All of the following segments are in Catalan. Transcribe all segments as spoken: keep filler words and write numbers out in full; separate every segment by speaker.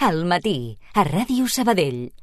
Speaker 1: Al matí, a Ràdio Sabadell.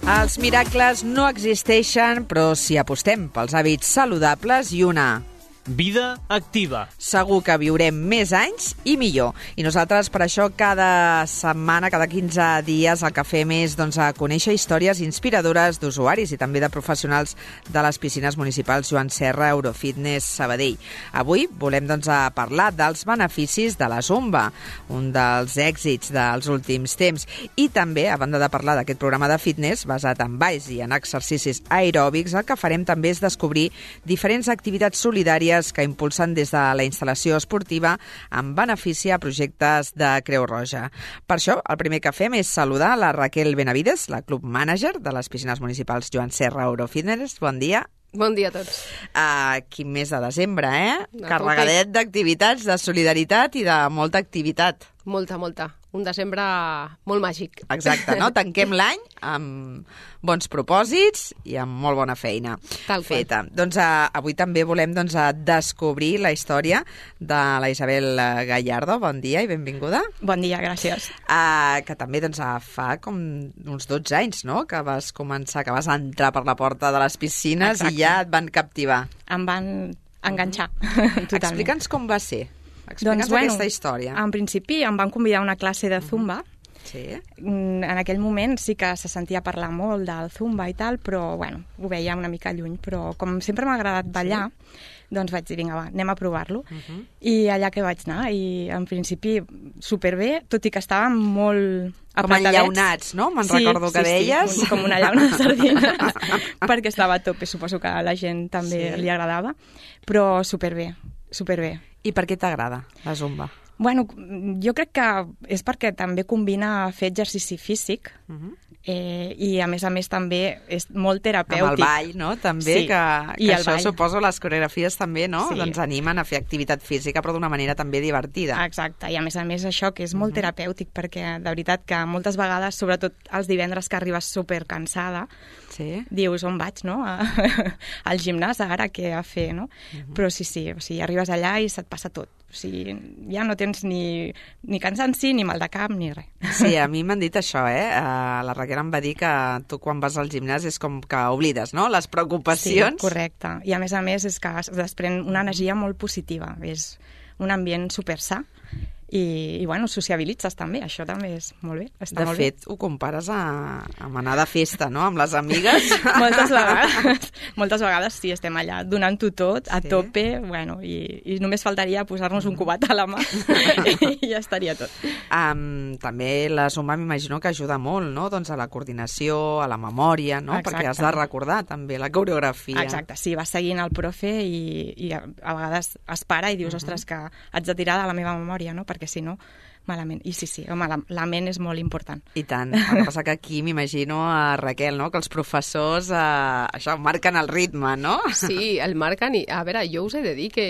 Speaker 2: Els miracles no existeixen, però si apostem pels hàbits saludables i una
Speaker 3: vida activa,
Speaker 2: segur que viurem més anys i millor. I nosaltres, per això, cada setmana, cada quinze dies, el que fem és doncs, a conèixer històries inspiradores d'usuaris i també de professionals de les piscines municipals Joan Serra, Eurofitness Sabadell. Avui volem doncs, a parlar dels beneficis de la Zumba, un dels èxits dels últims temps. I també, a banda de parlar d'aquest programa de fitness basat en balls i en exercicis aeròbics, el que farem també és descobrir diferents activitats solidàries que impulsen des de la instal·lació esportiva en benefici a projectes de Creu Roja. Per això, el primer que fem és saludar la Raquel Benavides, la club mànager de les piscines municipals Joan Serra, Eurofitness. Bon dia.
Speaker 4: Bon dia a tots.
Speaker 2: Uh, quin mes de desembre, eh?
Speaker 4: No,
Speaker 2: Carregadet d'activitats, de solidaritat i de molta activitat.
Speaker 4: Molta, molta. Un desembre molt màgic.
Speaker 2: Exacte, no? Tanquem l'any amb bons propòsits i amb molt bona feina
Speaker 4: Tal
Speaker 2: feta. Qual. Doncs uh, avui també volem doncs, uh, descobrir la història de la Isabel Gallardo. Bon dia i benvinguda.
Speaker 5: Bon dia, gràcies.
Speaker 2: Uh, que també doncs, uh, fa com uns dotze anys, no?, que vas començar, que vas entrar per la porta de les piscines. Exacte. I ja et van captivar.
Speaker 5: Em van enganxar, mm-hmm. totalment.
Speaker 2: Explica'ns com va ser. Explica'ns
Speaker 5: doncs, bueno,
Speaker 2: aquesta història.
Speaker 5: En principi em van convidar a una classe de Zumba.
Speaker 2: Sí.
Speaker 5: En aquell moment sí que se sentia parlar molt del Zumba i tal, però bueno, ho veia una mica lluny. Però com sempre m'ha agradat ballar, sí. doncs vaig dir, vinga, va, anem a provar-lo. Uh-huh. I allà que vaig anar, i en principi superbé, tot i que estàvem molt
Speaker 2: com enllaunats, no? Me'n sí, recordo que
Speaker 5: sí,
Speaker 2: deies.
Speaker 5: Sí, com una llauna de sardines, perquè estava a tope, suposo que a la gent també sí. li agradava, però superbé, superbé.
Speaker 2: I per què t'agrada la Zumba?
Speaker 5: Bueno, jo crec que és perquè també combina fer exercici físic uh-huh. eh, i, a més a més, també és molt terapèutic.
Speaker 2: Amb el ball, no?, també,
Speaker 5: sí.
Speaker 2: que, que això,
Speaker 5: ball.
Speaker 2: suposo, les coreografies també, no?,
Speaker 5: sí.
Speaker 2: doncs animen a fer activitat física, però d'una manera també divertida.
Speaker 5: Exacte, i a més a més això, que és molt uh-huh. terapèutic, perquè de veritat que moltes vegades, sobretot els divendres que arribes supercansada, sí. dius, on vaig, no?, al gimnàs ara, què a fer, no? Uh-huh. Però sí, sí, o sigui, arribes allà i se't passa tot. O sigui, ja no tens ni, ni cansanci, ni mal de cap, ni res.
Speaker 2: Sí, a mi m'han dit això, eh? Uh, la Raquel em va dir que tu quan vas al gimnàs és com que oblides, no?, les preocupacions.
Speaker 5: Sí, correcte. I a més a més és que es desprèn una energia molt positiva. És un ambient super sa. I, i bueno, sociabilitzes també, això també és molt bé. Està
Speaker 2: de
Speaker 5: molt
Speaker 2: fet,
Speaker 5: bé.
Speaker 2: Ho compares a, a anar de festa, no?, amb les amigues.
Speaker 5: Moltes vegades, moltes vegades sí, estem allà donant-ho tot, a sí. tope, bueno, i, i només faltaria posar-nos un cubat a la mà i ja estaria tot.
Speaker 2: Um, també la Zumba m'imagino que ajuda molt, no?, doncs a la coordinació, a la memòria, no?, exacte. Perquè has de recordar també la coreografia.
Speaker 5: Exacte, sí, vas seguint el profe i, i a, a vegades es para i dius, uh-huh. ostres, que haig de tirar de la meva memòria, no?, perquè si no, malament. I sí, sí, home, la, la ment és molt important.
Speaker 2: I tant. El que passa que aquí m'imagino a Raquel, no?, que els professors eh, això, marquen el ritme, no?
Speaker 4: Sí, el marquen i, a veure, jo us he de dir que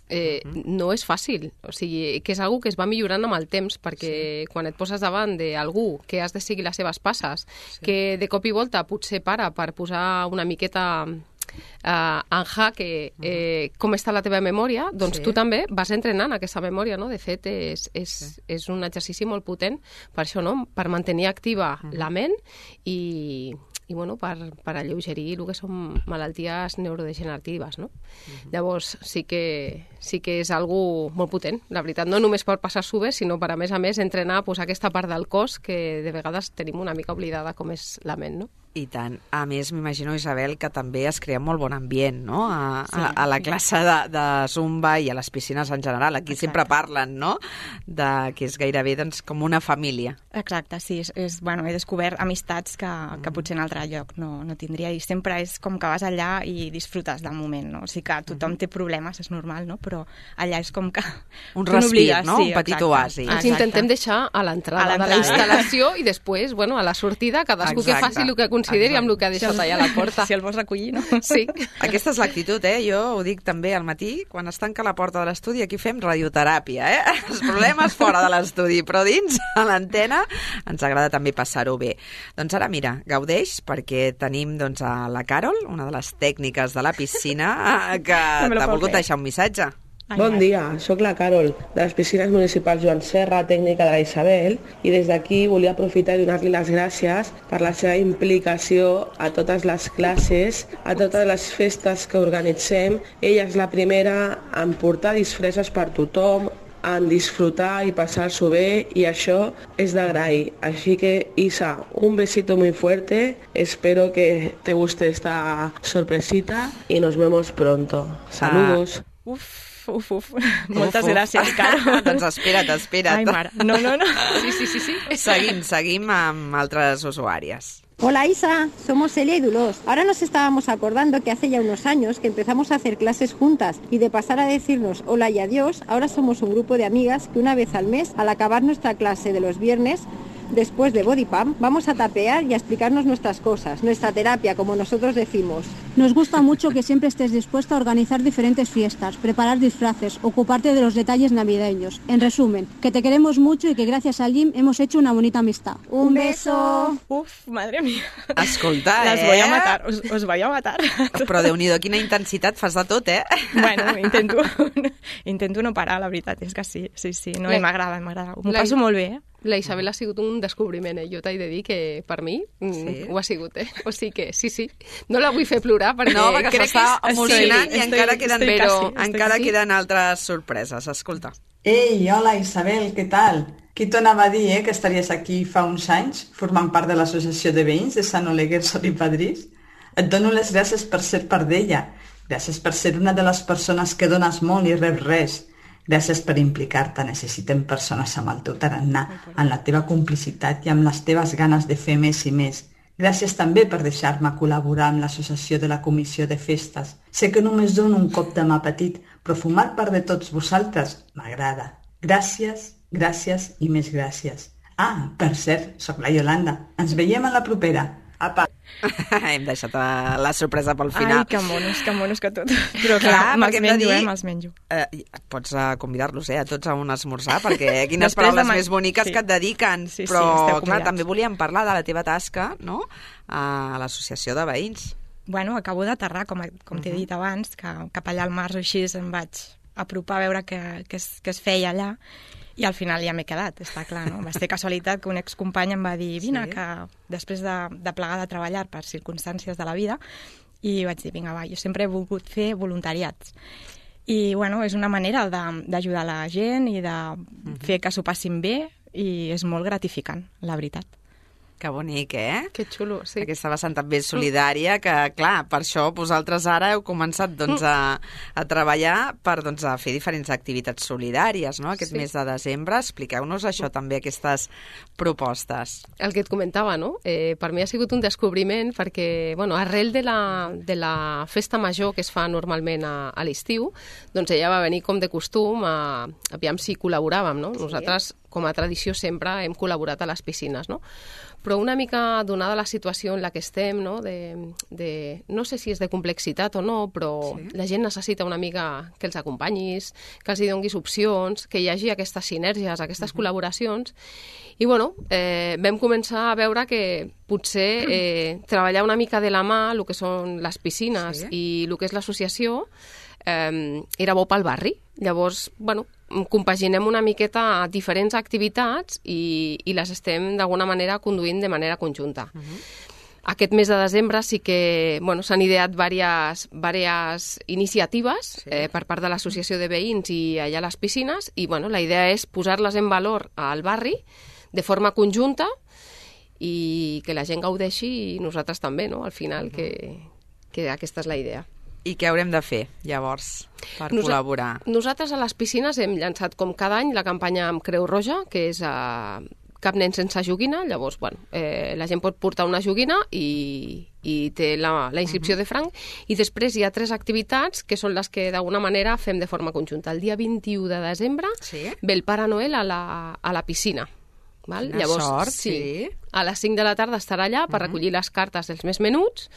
Speaker 4: eh, uh-huh. no és fàcil, o sigui, que és algo que es va millorant amb el temps, perquè sí. quan et poses davant d'algú que has de seguir les seves passes, sí. que de cop i volta potser para per posar una miqueta Uh, en jaque eh, com està la teva memòria, doncs sí. tu també vas entrenant aquesta memòria, no? De fet, és, és, sí. és un exercici molt potent per això, no? Per mantenir activa uh-huh. la ment i, i bueno, per, per alleugerir el que són malalties neurodegeneratives, no? Uh-huh. Llavors, sí que, sí que és algo molt potent, la veritat, no només per passar-s'ho bé, sinó per, a més a més, entrenar pues, aquesta part del cos que de vegades tenim una mica oblidada com és la ment, no?
Speaker 2: I tant. A més, m'imagino, Isabel, que també es crea molt bon ambient, no?, a, sí, a, a la classe de, de Zumba i a les piscines en general. Aquí Exacte. Sempre parlen, no?, de que és gairebé doncs, com una família.
Speaker 5: Exacte, sí. És, és, bueno, he descobert amistats que, mm. que potser en altre lloc no, no tindria. I sempre és com que vas allà i disfrutes del moment, no? O sigui que tothom mm. té problemes, és normal, no? Però allà és com que...
Speaker 2: Un respir, no? Sí, un petit exacte. Oasi.
Speaker 4: Ens exacte. Intentem deixar a l'entrada de la instal·lació i després, bueno, a la sortida, cadascú exacte. Que faci el que consideri consideri amb el que ha deixat allà a la porta.
Speaker 5: Si el vols recollir, no?
Speaker 4: Sí.
Speaker 2: Aquesta és l'actitud, eh? Jo ho dic també al matí, quan es tanca la porta de l'estudi, aquí fem radioteràpia, eh? Els problemes fora de l'estudi, però dins, a l'antena, ens agrada també passar-ho bé. Doncs ara, mira, gaudeix, perquè tenim doncs, a la Carol, una de les tècniques de la piscina, que t'ha volgut deixar un missatge.
Speaker 6: Bon dia, sóc la Carol, de les piscines municipals Joan Serra, tècnica de la Isabel, i des d'aquí volia aprofitar i donar-li les gràcies per la seva implicació a totes les classes, a totes les festes que organitzem. Ella és la primera en portar disfresses per tothom, en disfrutar i passar-s'ho bé, i això és d'agrair. Així que, Isa, un besito muy fuerte, espero que te guste esta sorpresita y nos vemos pronto. Saludos.
Speaker 5: Ah. Uf. Uf, uf. Moltes uf, uf. gràcies, Carol.
Speaker 2: Doncs espera't, espera't.
Speaker 5: Ai, mare. No, no, no.
Speaker 4: Sí, sí, sí, sí.
Speaker 2: Seguim, seguim amb altres usuàries.
Speaker 7: Hola Isa, somos Celia y Dolors. Ahora nos estábamos acordando que hace ya unos años que empezamos a hacer clases juntas y de pasar a decirnos hola y adiós, ahora somos un grupo de amigas que una vez al mes, al acabar nuestra clase de los viernes, después de Body Pump, vamos a tapear y a explicarnos nuestras cosas, nuestra terapia, como nosotros decimos.
Speaker 8: Nos gusta mucho que siempre estés dispuesta a organizar diferentes fiestas, preparar disfraces, ocuparte de los detalles navideños. En resumen, que te queremos mucho y que gracias al gym hemos hecho una bonita amistad.
Speaker 7: ¡Un beso!
Speaker 5: Uf, madre mía.
Speaker 2: Escolta, eh?
Speaker 5: Les voy a matar, us, us voy a matar.
Speaker 2: Però Déu-n'hi-do, quina intensitat, fas de tot, eh?
Speaker 5: Bueno, intento, intento no parar, la veritat és que sí, sí, sí, no, i m'agrada, m'agrada. M'ho passo molt bé, eh?
Speaker 4: La Isabel ha sigut un descobriment, eh? Jo t'he de dir que per mi sí. ho ha sigut, eh? O sigui que sí, sí. No la vull fer plorar perquè,
Speaker 2: no, perquè crec que està emocionant i encara,
Speaker 5: estoy,
Speaker 2: queden,
Speaker 5: estoy
Speaker 2: però
Speaker 5: casi,
Speaker 2: encara
Speaker 5: estoy...
Speaker 2: queden altres sorpreses. Escolta.
Speaker 9: Ei, hola Isabel, què tal? Qui t'ho anava a dir, eh, que estaries aquí fa uns anys formant part de l'associació de veïns de Sant Oleguer, Sol i Padrís? Et dono les gràcies per ser part d'ella. Gràcies per ser una de les persones que dones molt i reps res. Gràcies per implicar-te. Necessitem persones amb el teu tarannà, amb la teva complicitat i amb les teves ganes de fer més i més. Gràcies també per deixar-me col·laborar amb l'associació de la comissió de festes. Sé que només dono un cop de mà petit, però formar part de tots vosaltres m'agrada. Gràcies, gràcies i més gràcies. Ah, per cert, sóc la Iolanda. Ens veiem a la propera. Apa!
Speaker 2: Hem deixat la sorpresa pel final.
Speaker 5: Ai, que monos, que monos que tot. Però clar, me'ls menjo, eh, me'ls menjo.
Speaker 2: Eh, pots uh, convidar-los, eh, a tots a un esmorzar, perquè quines paraules de... més boniques sí. que et dediquen.
Speaker 5: Sí,
Speaker 2: però,
Speaker 5: sí,
Speaker 2: clar, també volíem parlar de la teva tasca, no?, a l'associació de veïns.
Speaker 5: Bueno, acabo d'aterrar, com, com t'he uh -huh. dit abans, que cap allà al març o així em vaig apropar a veure què, què, es, què es feia allà. I al final ja m'he quedat, està clar, no? Va ser casualitat que un excompany em va dir vine, sí. que després de, de plegar de treballar per circumstàncies de la vida, i vaig dir, vinga, va, jo sempre he volgut fer voluntariats. I, bueno, és una manera d'ajudar la gent i de uh-huh. fer que s'ho passin bé, i és molt gratificant, la veritat.
Speaker 2: Que bonic, eh?
Speaker 4: Que xulo, sí.
Speaker 2: Aquesta vessant també solidària, que, clar, per això vosaltres ara heu començat doncs, a, a treballar per doncs, a fer diferents activitats solidàries, no?, aquest sí. mes de desembre. Expliqueu-nos això també, aquestes propostes.
Speaker 4: El que et comentava, no? Eh, per mi ha sigut un descobriment perquè, bueno, arrel de la, de la festa major que es fa normalment a, a l'estiu, doncs ella va venir com de costum a... Aviam si col·laboràvem, no? Nosaltres, com a tradició, sempre hem col·laborat a les piscines, no? Però una mica donada la situació en la que estem, no? De, de, no sé si és de complexitat o no, però sí. la gent necessita una mica que els acompanyis, que els hi donguis opcions, que hi hagi aquestes sinergies, aquestes uh-huh. col·laboracions. I, bueno, eh, vam començar a veure que potser eh, treballar una mica de la mà el que són les piscines sí. i el que és l'associació eh, era bo pel barri. Llavors, bueno, compaginem una miqueta diferents activitats i, i les estem d'alguna manera conduint de manera conjunta. Uh-huh. Aquest mes de desembre sí que bueno, s'han ideat diverses, diverses iniciatives sí. eh, per part de l'associació de veïns i allà a les piscines i bueno, la idea és posar-les en valor al barri de forma conjunta i que la gent gaudeixi i nosaltres també, no? Al final, uh-huh. que, que aquesta és la idea.
Speaker 2: I què haurem de fer, llavors, per Nos col·laborar?
Speaker 4: Nosaltres a les piscines hem llançat com cada any la campanya amb Creu Roja, que és a Cap nen sense joguina. Llavors, bueno, eh, la gent pot portar una joguina i, i té la, la inscripció uh-huh. de franc. I després hi ha tres activitats que són les que d'alguna manera fem de forma conjunta. El dia vint-i-u de desembre sí. ve el Pare Noel a la, a la piscina. Val?
Speaker 2: Quina
Speaker 4: Llavors,
Speaker 2: sort,
Speaker 4: sí.
Speaker 2: sí.
Speaker 4: A les cinc de la tarda estarà allà per recollir les cartes dels més menuts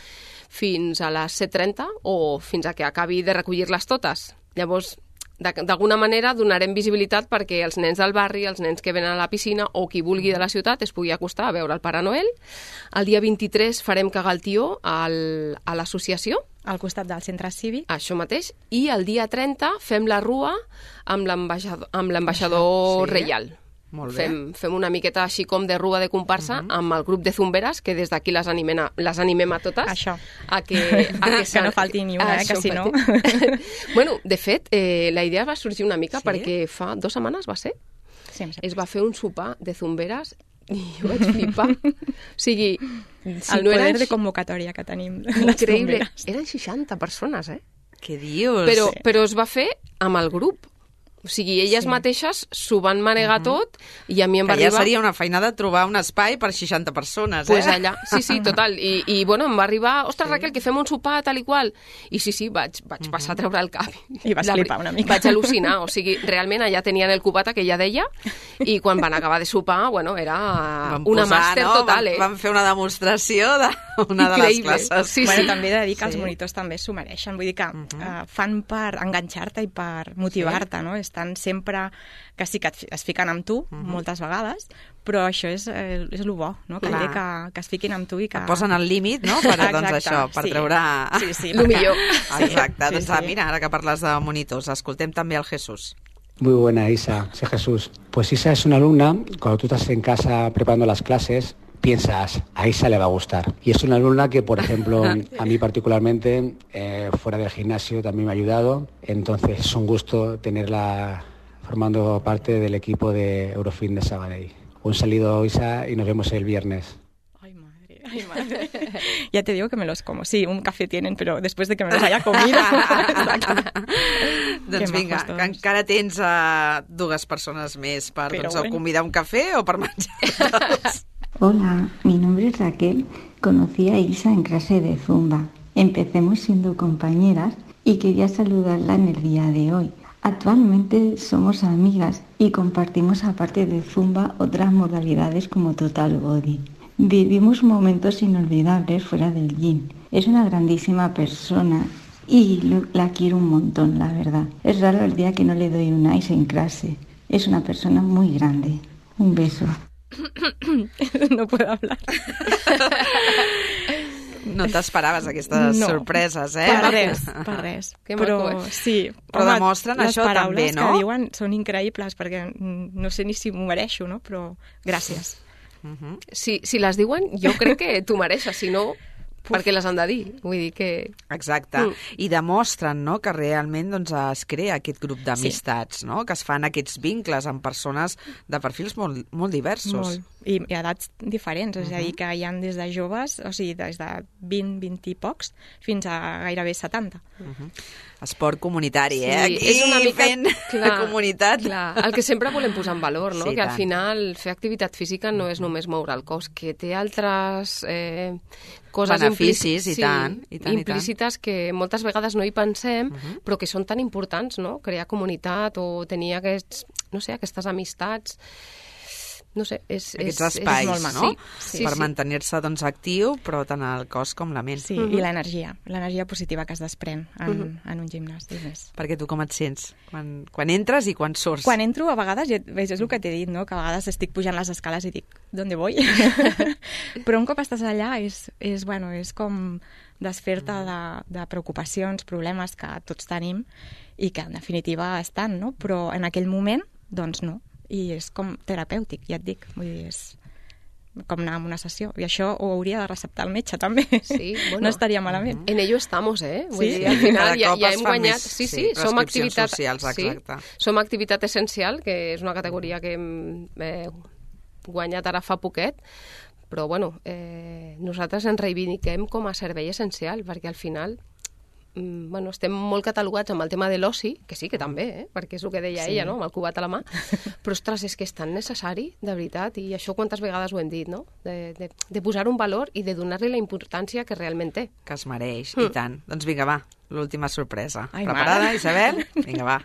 Speaker 4: fins a les set trenta o fins a que acabi de recollir-les totes. Llavors, d'alguna manera donarem visibilitat perquè els nens del barri, els nens que venen a la piscina o qui vulgui de la ciutat es pugui acostar a veure el Pare Noel. El dia vint-i-tres farem cagar el tió al, a l'associació.
Speaker 5: Al costat del centre cívic.
Speaker 4: Això mateix. I el dia trenta fem la rua amb l'ambaixador, amb l'ambaixador
Speaker 2: sí.
Speaker 4: reial.
Speaker 2: Molt bé.
Speaker 4: Fem, fem una miqueta així com de rua de comparsa uh -huh. amb el grup de zumberes, que des d'aquí les animem a, les animem a totes.
Speaker 5: Això.
Speaker 4: A que, a que,
Speaker 5: que no falti ni una, eh, que si no...
Speaker 4: Bueno, de fet, eh, la idea va sorgir una mica
Speaker 2: sí?
Speaker 4: perquè fa dues setmanes, va ser?
Speaker 5: Sí,
Speaker 4: es va fer un sopar de zumberes i jo vaig flipar. O sigui, si
Speaker 5: el
Speaker 4: no
Speaker 5: poder
Speaker 4: eren...
Speaker 5: de convocatòria que tenim.
Speaker 4: Increïble. Eren seixanta persones, eh?
Speaker 2: Què dius?
Speaker 4: Però,
Speaker 5: Sí.
Speaker 4: però es va fer amb el grup. O sigui, elles
Speaker 5: Sí.
Speaker 4: mateixes s'ho van manegar uh -huh. tot i a mi em
Speaker 2: que
Speaker 4: va
Speaker 2: ja
Speaker 4: arribar...
Speaker 2: seria una feina de trobar un espai per seixanta persones,
Speaker 4: pues
Speaker 2: eh?
Speaker 4: allà, sí, sí, total. I, i bueno, em va arribar, ostres, sí. Raquel, que fem un sopar, tal i qual. I sí, sí, vaig, vaig uh-huh. passar a treure el cap.
Speaker 5: I vas
Speaker 4: La,
Speaker 5: flipar una mica.
Speaker 4: Vaig al·lucinar, o sigui, realment allà tenien el cubata que ja deia i quan van acabar de sopar, bueno, era
Speaker 2: Van
Speaker 4: una
Speaker 2: posar,
Speaker 4: màster
Speaker 2: no?
Speaker 4: total,
Speaker 2: van,
Speaker 4: eh?
Speaker 2: van fer una demostració d'una de les
Speaker 4: Increïble.
Speaker 2: classes.
Speaker 4: Sí,
Speaker 5: bueno,
Speaker 4: sí.
Speaker 5: també he de dir que els
Speaker 2: Sí.
Speaker 5: monitors també s'ho mereixen. Vull dir que
Speaker 2: Uh-huh.
Speaker 5: uh, fan per enganxar-te i per motivar-te, no? Estan sempre que sí que et fi- es fiquen amb tu,
Speaker 2: Uh-huh.
Speaker 5: moltes vegades, però això és, eh, és el bo, no? Que,
Speaker 2: Clar.
Speaker 5: dir que, que es fiquin amb tu i que...
Speaker 2: Et posen al límit, no?, per, doncs
Speaker 5: Exacte,
Speaker 2: això, per
Speaker 5: sí.
Speaker 2: treure...
Speaker 5: Sí, sí,
Speaker 4: Lo
Speaker 5: perquè-
Speaker 4: millor.
Speaker 2: Exacte,
Speaker 5: Sí,
Speaker 2: doncs
Speaker 5: sí.
Speaker 2: ah, mira, ara que parles de monitors, escoltem també el Jesús.
Speaker 10: Muy buena, Isa. Soy Jesús. Pues Isa es una alumna, cuando tú estás en casa preparando las clases, piensas, a Isa le va a gustar. Y es una alumna que, por ejemplo, a mí particularmente, eh, fuera del gimnasio también me ha ayudado. Entonces es un gusto tenerla formando parte del equipo de Eurofin de Sabadell. Un saludo, Isa, y nos vemos el viernes.
Speaker 5: Ay, madre, ay, madre. Ya te digo que me los como. Sí, un café tienen, pero después de que me los haya comido...
Speaker 2: Doncs
Speaker 5: Que
Speaker 2: vinga,
Speaker 5: majos
Speaker 2: que
Speaker 5: tots.
Speaker 2: encara tens uh, dues persones més per
Speaker 5: Però
Speaker 2: doncs, o
Speaker 5: bueno.
Speaker 2: convidar un café o per menjar.
Speaker 11: Hola, mi nombre es Raquel. Conocí a Isa en clase de Zumba. Empecemos siendo compañeras y quería saludarla en el día de hoy. Actualmente somos amigas y compartimos, aparte de Zumba, otras modalidades como Total Body. Vivimos momentos inolvidables fuera del gym. Es una grandísima persona y lo- la quiero un montón, la verdad. Es raro el día que no le doy un ice en clase. Es una persona muy grande. Un beso.
Speaker 5: No puedo hablar.
Speaker 2: No t'esperaves aquestes
Speaker 5: No,
Speaker 2: sorpreses, eh?
Speaker 5: Per res, per res.
Speaker 4: Que
Speaker 5: però
Speaker 4: maco, eh?
Speaker 5: sí.
Speaker 2: Però demostren
Speaker 5: les
Speaker 2: això també,
Speaker 5: paraules
Speaker 2: no?
Speaker 5: que diuen són increïbles, perquè mm, no sé ni si m'ho mereixo, no? Però gràcies.
Speaker 2: Uh-huh.
Speaker 4: Si, si les diuen, jo crec que tu mereixes, si no, perquè les han de dir. Vull dir que...
Speaker 2: Exacte.
Speaker 4: Mm.
Speaker 2: I demostren, no?, que realment doncs, es crea aquest grup d'amistats, sí. no?, que es fan aquests vincles amb persones de perfils molt, molt diversos.
Speaker 5: Molt. I, i edats diferents, és a dir, que hi ha des de joves, o sigui, des de vint, vint i pocs, fins a gairebé setanta.
Speaker 2: Uh-huh. Esport comunitari,
Speaker 4: Sí,
Speaker 2: eh? Aquí
Speaker 4: és una mica-
Speaker 2: fent
Speaker 4: clar,
Speaker 2: comunitat.
Speaker 4: Clar, el que sempre volem posar en valor, no?
Speaker 2: Sí,
Speaker 4: Que al
Speaker 2: tant.
Speaker 4: final fer activitat física no és només moure el cos, que té altres eh, coses
Speaker 2: Beneficis,
Speaker 4: implíci-
Speaker 2: i tant, i tant, i tant.
Speaker 4: implícites que moltes vegades no hi pensem, uh-huh. però que són tan importants, no? Crear comunitat o tenir aquests, no sé, aquestes amistats. No sé, és...
Speaker 2: Aquests
Speaker 4: és,
Speaker 2: espais,
Speaker 4: és molt maco.
Speaker 2: no?
Speaker 4: Sí, sí,
Speaker 2: per
Speaker 4: sí.
Speaker 2: mantenir-se doncs, actiu, però tant el cos com la ment.
Speaker 5: Sí, uh -huh. i l'energia, l'energia positiva que es desprèn en, uh
Speaker 4: Mhm.
Speaker 5: -huh. en un gimnàs. I més.
Speaker 2: Perquè tu com et sents? Quan, quan entres i quan surts?
Speaker 5: Quan entro, a vegades, ja, veig, és el que t'he dit, no? Que a vegades estic pujant les escales i dic, ¿dónde voy? Però un cop estàs allà és, és, bueno, és com desfer-te de, de preocupacions, problemes que tots tenim i que en definitiva estan, no? Però en aquell moment, doncs no. I és com terapèutic, ja et dic. Vull dir, és com anar a una sessió. I això ho hauria de receptar el metge, també.
Speaker 4: Sí, bueno,
Speaker 5: no estaria malament.
Speaker 4: En ello estamos, eh? Vull
Speaker 5: Sí?
Speaker 4: dir, al final
Speaker 2: Cada
Speaker 4: ja,
Speaker 2: cop
Speaker 4: ja
Speaker 2: es
Speaker 4: hem
Speaker 2: fa
Speaker 4: guanyat...
Speaker 2: més,
Speaker 4: sí,
Speaker 2: sí,
Speaker 4: sí, som
Speaker 2: prescripcions
Speaker 4: activitat...
Speaker 2: socials,
Speaker 4: sí,
Speaker 2: exacte.
Speaker 4: som activitat essencial, que és una categoria que hem eh, guanyat ara fa poquet, però bueno, eh, nosaltres ens reivindiquem com a servei essencial, perquè al final mm, bueno, estem molt catalogats amb el tema de l'oci, que sí, que també, eh? Perquè és el que deia
Speaker 5: Sí.
Speaker 4: ella, no?, amb el cubat a la mà, però, ostres, és que és tan necessari, de veritat, i això quantes vegades ho hem dit, no?, de, de, de posar un valor i de donar-li la importància que realment té.
Speaker 2: Que es mereix,
Speaker 4: Mm.
Speaker 2: i tant. Doncs vinga, va, l'última sorpresa.
Speaker 5: Ai,
Speaker 2: Preparada,
Speaker 5: mare.
Speaker 2: Isabel? Vinga, va.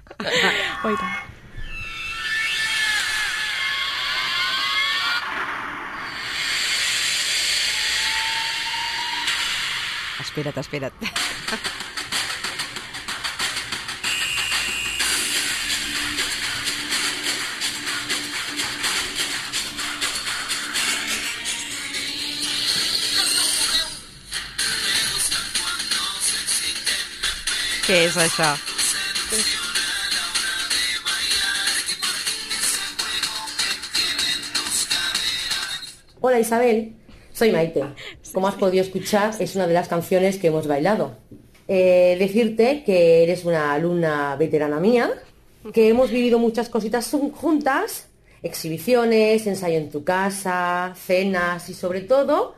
Speaker 5: Oh, i tant.
Speaker 2: Espera't, espera't. Què és això?
Speaker 12: Hola Isabel, soy Maite. Como has podido escuchar, es una de las canciones que hemos bailado. Eh, decirte que eres una alumna veterana mía, que hemos vivido muchas cositas juntas, exhibiciones, ensayo en tu casa, cenas y sobre todo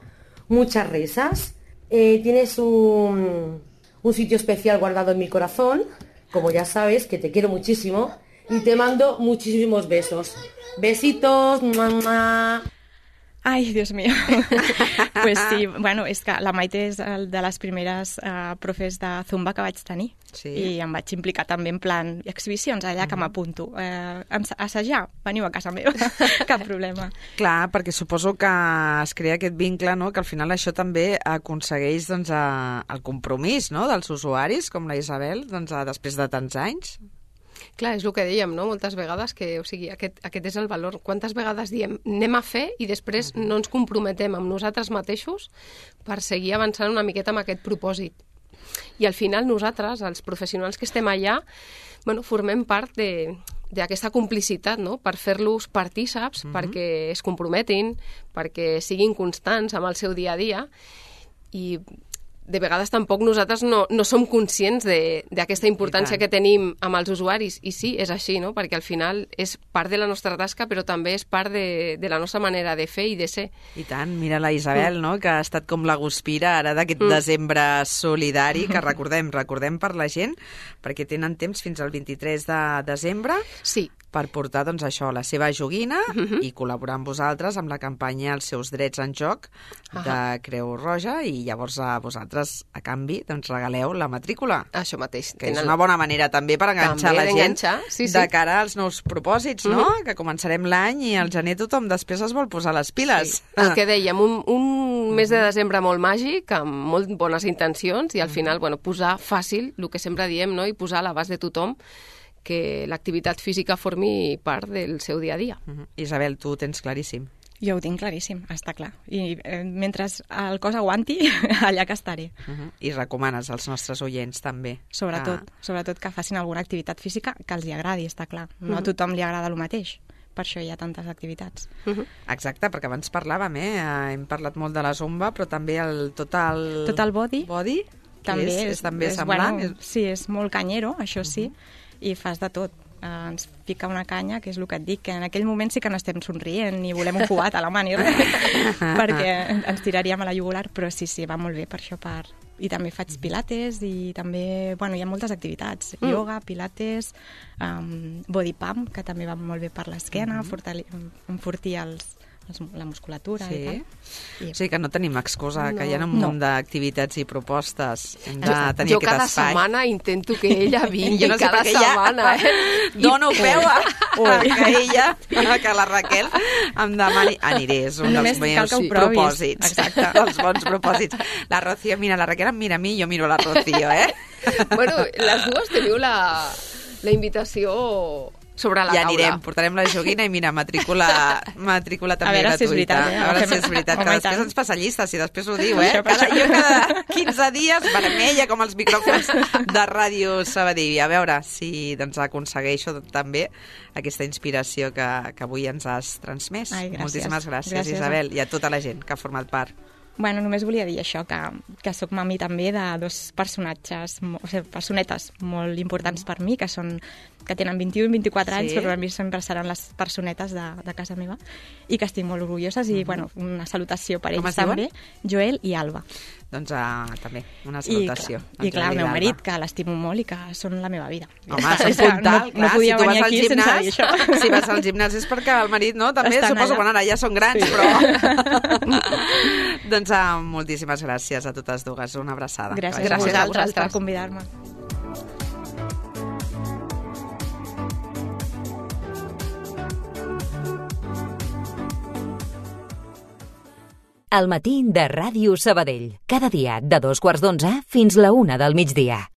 Speaker 12: muchas risas. Eh, tienes un, un sitio especial guardado en mi corazón, como ya sabes, que te quiero muchísimo y te mando muchísimos besos. Besitos, mamá.
Speaker 5: Ai, Dios mío. Pues sí, bueno, és que la Maite és de les primeres uh, profes de Zumba que vaig tenir. Sí. I em vaig implicar també en plan exhibicions allà que m'apunto. Uh, assajar, veniu a casa meva, cap problema.
Speaker 2: Clar, perquè suposo que es crea aquest vincle, no? Que al final això també aconsegueix doncs, a, el compromís, no? Dels usuaris, com la Isabel, doncs, a, després de tants anys.
Speaker 4: Clar, és el que dèiem, no? Moltes vegades que, o sigui, aquest, aquest és el valor. Quantes vegades diem anem a fer i després no ens comprometem amb nosaltres mateixos per seguir avançant una miqueta amb aquest propòsit. I al final nosaltres, els professionals que estem allà, bueno, formem part de d'aquesta complicitat, no? Per fer-los partíceps, uh-huh. perquè es comprometin, perquè siguin constants amb el seu dia a dia i de vegades tampoc nosaltres no, no som conscients d'aquesta importància que tenim amb els usuaris. I sí, és així, no? Perquè al final és part de la nostra tasca, però també és part de, de la nostra manera de fer i de ser.
Speaker 2: I tant, mira la Isabel, mm. no? Que ha estat com la guspira ara d'aquest mm. desembre solidari, que recordem, recordem per la gent, perquè tenen temps fins al vint-i-tres de desembre.
Speaker 4: Sí.
Speaker 2: Per portar, doncs, això, la seva joguina uh-huh. i col·laborar amb vosaltres amb la campanya Els seus drets en joc de uh-huh. Creu Roja i llavors a vosaltres, a canvi, doncs regaleu la matrícula.
Speaker 4: Això mateix.
Speaker 2: Que és una bona manera també per enganxar també la gent
Speaker 4: sí, sí.
Speaker 2: de cara als nous propòsits, no? Uh-huh. Que començarem l'any i al gener tothom després es vol posar les piles.
Speaker 4: Sí. El que dèiem, un, un mes de desembre molt màgic, amb molt bones intencions i al final, bueno, posar fàcil, el que sempre diem, no? I posar a l'abast de tothom que l'activitat física formi part del seu dia a dia.
Speaker 2: Uh-huh. Isabel, tu ho tens claríssim.
Speaker 5: Jo ho tinc claríssim, està clar. I eh, mentre el cos aguanti, allà que estaré.
Speaker 2: Uh-huh. I recomanes als nostres oients també.
Speaker 5: Sobretot, que... sobretot que facin alguna activitat física que els hi agradi, està clar. No uh-huh. a tothom li agrada el mateix. Per això hi ha tantes activitats.
Speaker 2: Uh-huh. Exacte, perquè abans parlàvem, eh? Hem parlat molt de la zumba, però també el total...
Speaker 5: Tot el body.
Speaker 2: Body,
Speaker 5: també
Speaker 2: és,
Speaker 5: és,
Speaker 2: és també
Speaker 5: és,
Speaker 2: semblant.
Speaker 5: Bueno, sí, és molt canyero, això sí. Uh-huh. I fas de tot. Uh, ens pica una canya, que és el que et dic, que en aquell moment sí que no estem somrient ni volem un cubat a la mà ni res, perquè ens tiraríem a la jugular, però sí, sí, va molt bé per això. Per... I també faig pilates i també, bueno, hi ha moltes activitats. Mm. Yoga, pilates, um, body pump, que també va molt bé per l'esquena, mm-hmm. fortali... enfortir els, la musculatura sí. i tal. I...
Speaker 2: O sigui que no tenim excusa, no. que hi ha un
Speaker 5: no.
Speaker 2: munt d'activitats i propostes. Hem de tenir
Speaker 4: jo cada
Speaker 2: espai.
Speaker 4: setmana intento que ella vingui,
Speaker 2: no sé
Speaker 4: cada setmana.
Speaker 2: Ja...
Speaker 4: Eh?
Speaker 2: Dono peu a, a que ella, que la Raquel em demani... Aniré, és un
Speaker 5: Només
Speaker 2: dels meus
Speaker 5: sí.
Speaker 2: propòsits.
Speaker 5: Exacte.
Speaker 2: Els bons propòsits. La Rocío, mira, la Raquel em mira a mi i jo miro la Rocío, eh?
Speaker 4: Bueno, les dues teniu la, la invitació... sobre la
Speaker 2: ja
Speaker 4: taula.
Speaker 2: anirem, portarem la joguina i mira, matrícula, matrícula també gratuïta.
Speaker 5: A veure si és veritat, eh?
Speaker 2: A veure si és veritat, que després ens passa llista, si després ho diu, eh? Cada, jo cada quinze dies, vermella, com els micròfons de Ràdio Sabadell. A veure si doncs, aconsegueixo també aquesta inspiració que, que avui ens has transmès.
Speaker 5: Ai, gràcies.
Speaker 2: Moltíssimes gràcies,
Speaker 5: gràcies,
Speaker 2: Isabel, i a tota la gent que ha format part.
Speaker 5: Bueno, només volia dir això, que, que sóc mami també de dos personatges, o sigui, personetes molt importants per mi, que són que tenen vint-i-u i vint-i-quatre anys, sí. però per mi sempre seran les personetes de, de casa meva, i que estic molt orgulloses, i, uh-huh. bueno, una salutació per ells també, Joel i Alba.
Speaker 2: Doncs uh, també, una salutació.
Speaker 5: I, i clar, el meu marit, que l'estimo molt i que són la meva vida.
Speaker 2: Home, són puntal,
Speaker 5: no, no podia
Speaker 2: si
Speaker 5: venir aquí
Speaker 2: gimnàs,
Speaker 5: sense dir això.
Speaker 2: Si vas al gimnàs és perquè el marit, no? També
Speaker 5: Estan
Speaker 2: suposo,
Speaker 5: allà.
Speaker 2: bueno, ara ja són grans,
Speaker 5: sí.
Speaker 2: però... doncs uh, moltíssimes gràcies a totes dues, una abraçada.
Speaker 5: Gràcies, gràcies a vosaltres per convidar-me.
Speaker 1: al matí de Ràdio Sabadell. Cada dia de dos quarts d'onze fins la una del migdia.